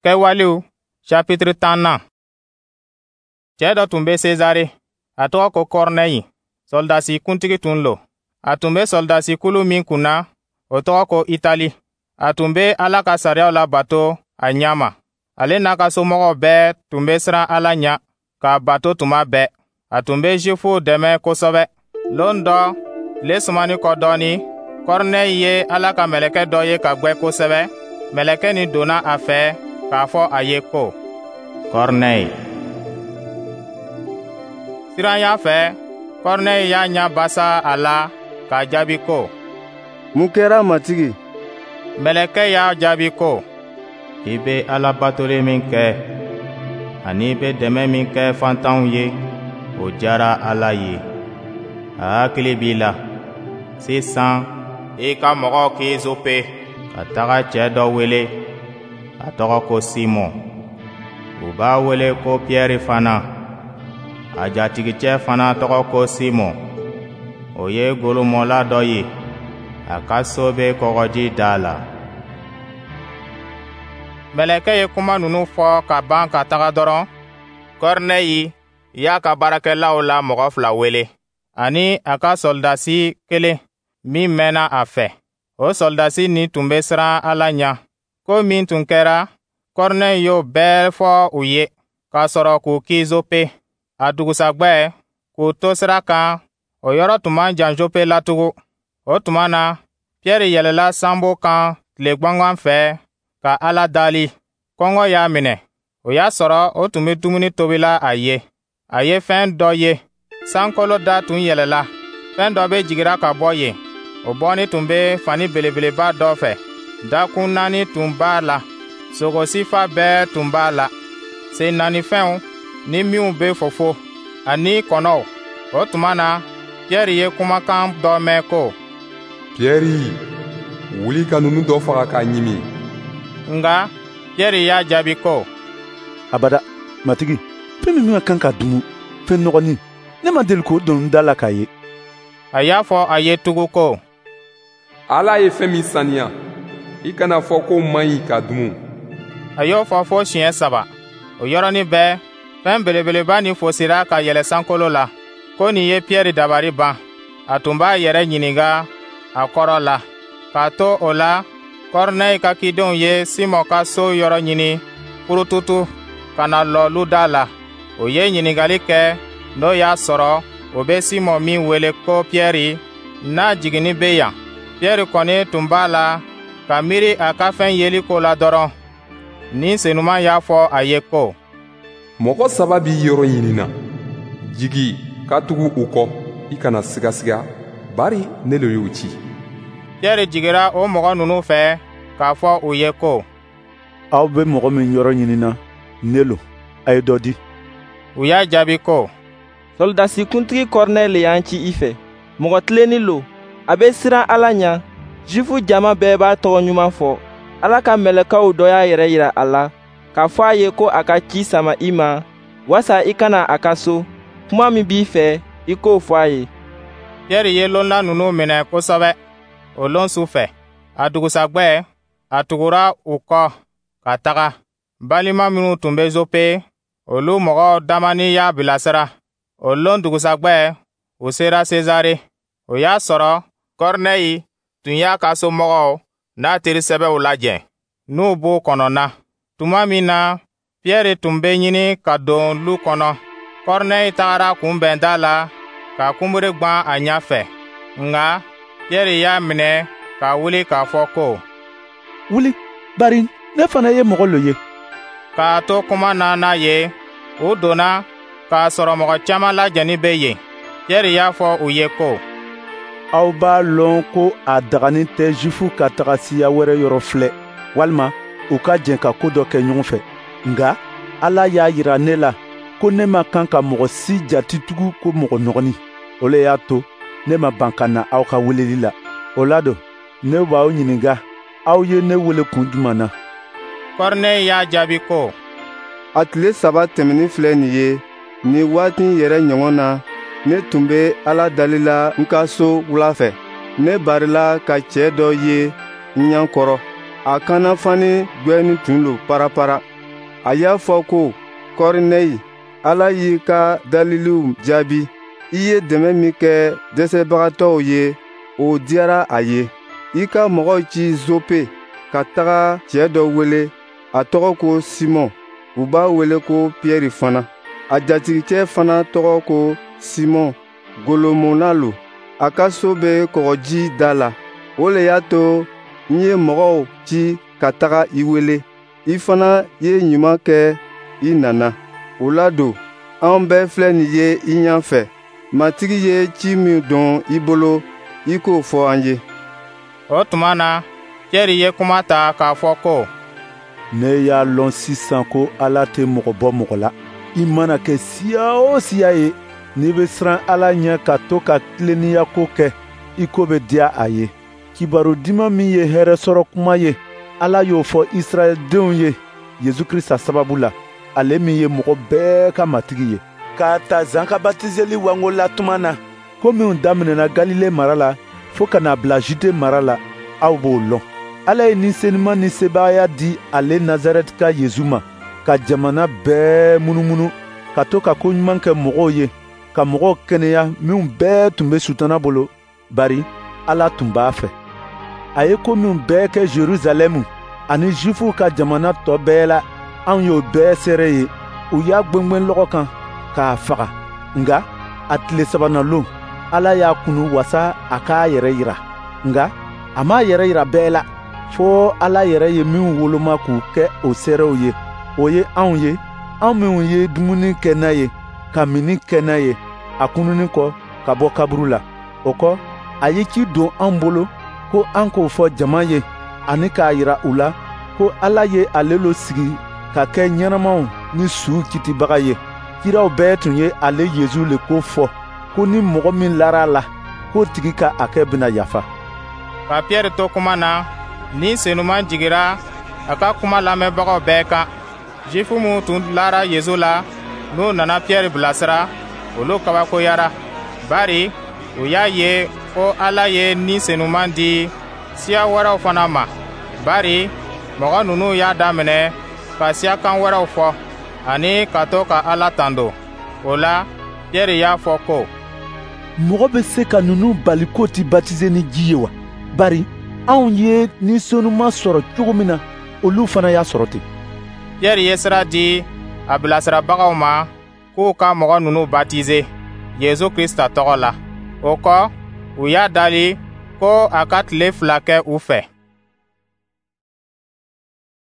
Kɛwalew chapitre 10nan. Cɛɛ dɔ tun be Sezare, a tɔgɔ ko Kɔrnɛyi, sɔrɔdasi kuntigi tun lo. A tun be sɔrɔdasi kulu min kunna, o tɔgɔ ko Itali. A tun be Ala ka sariyaw labato a ɲa ma. Ale n'a ka somɔgɔw bɛɛ tun be siran Ala ɲa k'a bato tuma bɛɛ. A tun be Zifuw dɛmɛ kosɛbɛ. Lon dɔ, tile sumanin kɔ dɔɔnin, Kɔrnɛyi ye Ala ka mɛlɛkɛ dɔ ye ka gwɛ kosɛbɛ. Mɛlɛkɛ nin donna a fɛ k'a fɔ a ye ko: «Kɔrnɛyi.» Siranya fɛ, Kɔrnɛyi y'a ɲa basa a la k'a jaabi ko: «Mun kɛra, Matigi?» Mɛlɛkɛ y'a jaabi ko: «I be Ala batoli min kɛ, ani i be dɛmɛ min kɛ faantanw ye, o diyara Ala ye. A hakili b'i la. Sisan, i ka mɔgɔw ci Zope ka taga cɛɛ dɔ wele, a tɔgɔ ko Simɔn. U b'a wele ko Piyɛri fana. A jatigicɛ fana tɔgɔ ko Simɔn. O ye golomɔla dɔ ye. A ka so bɛ kɔgɔji da la.» Mɛlɛkɛ ye kuma ninnu fɔ ka ban ka taga dɔrɔn, Kɔrnɛyi y'a ka baarakɛlaw la mɔgɔ fila wele, ani a ka sɔrɔdasi kelen min mɛnna a fɛ. O sɔrɔdasi nin tun bɛ siran Ala ɲɛ. Ko min tun kɛra, Kɔrnɛyi y'o bɛɛ fɔ u ye, k'a sɔrɔ k'u ci Zope. A dugusajɛ, k'u to sira kan, o yɔrɔ tun man jan Jope la tugun. O tuma na, Piyɛri yɛlɛla sanbo kan tile gwangan fɛ ka Ala dali. Kɔngɔ y'a minɛ. O y'a sɔrɔ o tun bɛ dumuni tobila a ye. A ye fɛn dɔ ye, sankolo da tun yɛlɛla, fɛn dɔ bɛ jigira ka bɔ yen. O bɔnni tun bɛ fani belebeleba dɔ fɛ, dakun naani tun b'a la, sogo sifa bɛɛ tun b'a la, sen naanifɛnw ni minw bɛ fofo, ani kɔnɔw. O tuma na, Piyɛri ye kumakan dɔ mɛn ko: «Piyɛri, wuli ka ninnu dɔ faga k'a ɲimi.» Nka Piyɛri y'a jaabi ko: «Abada, Matigi, fɛn min ka kan ka dumu, fɛn nɔgɔnin, ne ma deli k'o don n da la k'a ye.» A y'a fɔ a ye tugun ko: «Ala ye fɛn min saniya, i kana fɔ k'o man ɲi ka dumu.» A y'o fɔ fo siɲɛ saba. O yɔrɔnin bɛɛ, fɛn belebeleba nin fosira ka yɛlɛ sankolo la. Ko nin ye Piyɛri dabari ban. A tun b'a yɛrɛ ɲininka a kɔrɔ la. K'a to o la, Kɔrnɛyi ka cidenw ye Simɔn ka so yɔrɔ ɲini purututu ka na lɔ luda la. O ye ɲininkali kɛ n'o y'a sɔrɔ o bɛ Simɔn min wele ko Piyɛri, n'a jiginni bɛ yan. Piyɛri kɔni tun b'a la ka miiri a ka fɛn yeli ko la dɔrɔn. Ni Senuman y'a fɔ a ye ko: «Mɔgɔ saba b'i yɔrɔ ɲinina. Jigi ka tugu u kɔ, i kana sigasiga, bari ne le y'u ci.» Piyɛri jigira o mɔgɔ ninnu fɛ k'a fɔ u ye ko: «Aw bɛ mɔgɔ min yɔrɔ ɲinina, ne lo. A ye dɔ di.» U y'a jaabi ko: «Sɔrɔdasi kuntigi Kɔrnɛye le y'an ci i fɛ. Mɔgɔ tilennin lo, a bɛ siran Ala ɲa. Zifu jama bɛɛ b'a tɔgɔ ɲuman fɔ. Ala ka mɛlɛkɛw dɔ y'a yɛrɛ yira a la k'a fɔ a ye ko a ka ci sama i ma, wasa i ka na a ka so. Kuma min b'i fɛ, i k'o fɔ a ye.» Piyɛri ye lonla ninnu minɛ kosɛbɛ o lon su fɛ. A dugusajɛ, a tugura u kɔ ka taga. Balima minnu tun bɛ Zope, olu mɔgɔ damani y'a bilasira. O lon dugusajɛ, u sera Sezare. O y'a sɔrɔ Kɔrnɛyi tun y'a ka somɔgɔw n'a teri sɛbɛw lajɛ, n'u b'u kɔnɔna. Tuma min na Piyɛri tun bɛ ɲini ka don lu kɔnɔ, Kɔrnɛyi tagara kunbɛn da la ka kunbiri gwan a ɲɛ fɛ. Nka Piyɛri y'a minɛ ka wuli k'a fɔ ko: «Wuli, bari ne fana ye mɔgɔ lo ye.» K'a to kuma na n'a ye, u donna k'a sɔrɔ mɔgɔ caman lajɛnin bɛ yen. Piyɛri y'a fɔ u ye ko: «Aw b'a lɔn ko a daganin tɛ Zifu ka taga siya wɛrɛ yɔrɔ filɛ, walima u ka jɛn ka ko dɔ kɛ ɲɔgɔn fɛ. Nka Ala y'a yira ne la ko ne man kan ka mɔgɔ si jati tugun ko mɔgɔ nɔgɔnin. O le y'a to ne ma ban ka na aw ka weleli la. O la don, ne b'aw ɲininka, aw ye ne wele kun jumɛn na?» Kɔrnɛyi y'a jaabi ko: «A tile 3 tɛmɛnin filɛ nin ye, nin waati yɛrɛ ɲɔgɔn na, ne tun bɛ Ala dali la n ka so wula fɛ. Ne barila ka cɛɛ dɔ ye n ɲɛ kɔrɔ. A kannafani gwɛnin tun lo parapara. A y'a fɔ ko: Kɔrinɛyi, Ala y'i ka daliliw jaabi. I ye dɛmɛ min kɛ dɛsɛbagatɔw ye, o diyara a ye. I ka mɔgɔw ci Zope ka taga cɛɛ dɔ wele, a tɔgɔ ko Simɔn, u b'a wele ko Piyɛri fana. A jatigikɛ fana tɔgɔ ko Simɔn, golomɔnna lo. A ka so bɛ kɔgɔji da la. O le y'a to n ye mɔgɔw ci ka taga i wele. I fana ye ɲuman kɛ i nana. O la don, an bɛɛ filɛ nin ye i ɲɛ fɛ. Matigi ye ci min don i bolo, i k'o fɔ an ye. O tuma na, Pierre ye kuma ta k'a fɔ ko: Ne y'a lɔn sisan ko Ala tɛ mɔgɔ bɔ mɔgɔ la. I mana kɛ siya o siya ye, n'i bɛ siran Ala ɲɛ ka to ka tilennenya ko kɛ, i ko bɛ diya a ye. Kibaru diman min ye hɛrɛ sɔrɔ kuma ye, Ala y'o fɔ Israɛldenw ye Yesu Krista sababu la, ale min ye mɔgɔ bɛɛ ka matigi ye. K'a ta Zan ka batizeli wango la tuma na, ko minw daminɛna Galile mara la fo ka n'a bila Jude mara la, aw b'o lɔn. Ala ye Ni Senuman ni sebaaya di ale Nazarɛtika Yesu ma, ka jamana bɛɛ munumunu, ka to ka ko ɲuman kɛ mɔgɔw ye, ka mɔgɔw kɛnɛya minw bɛɛ tun bɛ Sutana bolo, bari Ala tun b'a fɛ. A ye ko minw bɛɛ kɛ Jerusalɛmu ani Jufuw ka jamana tɔ bɛɛ la, anw y'o bɛɛ seere ye. U y'a gwengwen lɔgɔ kan k'a faga, nka a tile sabanan lon, Ala y'a kunu wasa a k'a yɛrɛ yira. Nka a m'a yɛrɛ yira bɛɛ la, fo Ala yɛrɛ ye minw woloma k'u kɛ o seerew ye. O ye anw ye, anw minw ye dumuni kɛ n'a ye, ka minni kɛ n'a ye, a kununni kɔ ka bɔ kaburu la. O kɔ, a ye ci don an bolo ko an k'o fɔ jama ye, ani k'a yira u la ko Ala ye ale lo sigi ka kɛ ɲɛnamaw ni suw kitibaga ye. Kiraw bɛɛ tun ye ale Yesu le ko fɔ, ko ni mɔgɔ min lara a la, k'o tigi ka hakɛ bɛna yafa. Ka Pierre to kuma na, Ni Senuman jigira a ka kuma lamɛnbagaw bɛɛ kan. Jufu minw tun lara Yesu la, n'u nana Pierre bilasira, olu kabakoyara, bari u y'a ye ko Ala ye Ni Senuman di siya wɛrɛw fana ma. Bari mɔgɔ ninnu y'a daminɛ ka siyakan wɛrɛw fɔ, ani ka to ka Ala tando. O la, Pierre y'a fɔ ko: Mɔgɔ bɛ se ka ninnu bali k'o ti batize ni ji ye wa? Bari anw ye Ni Senuman sɔrɔ cogo min na, olu fana y'a sɔrɔ ten. Pierre ye sira di a bilasirabagaw ma k'u ka mɔgɔ ninnu batize Yesu Krista tɔgɔ la. O kɔ, u y'a dali ko a ka tile 2 kɛ u fɛ.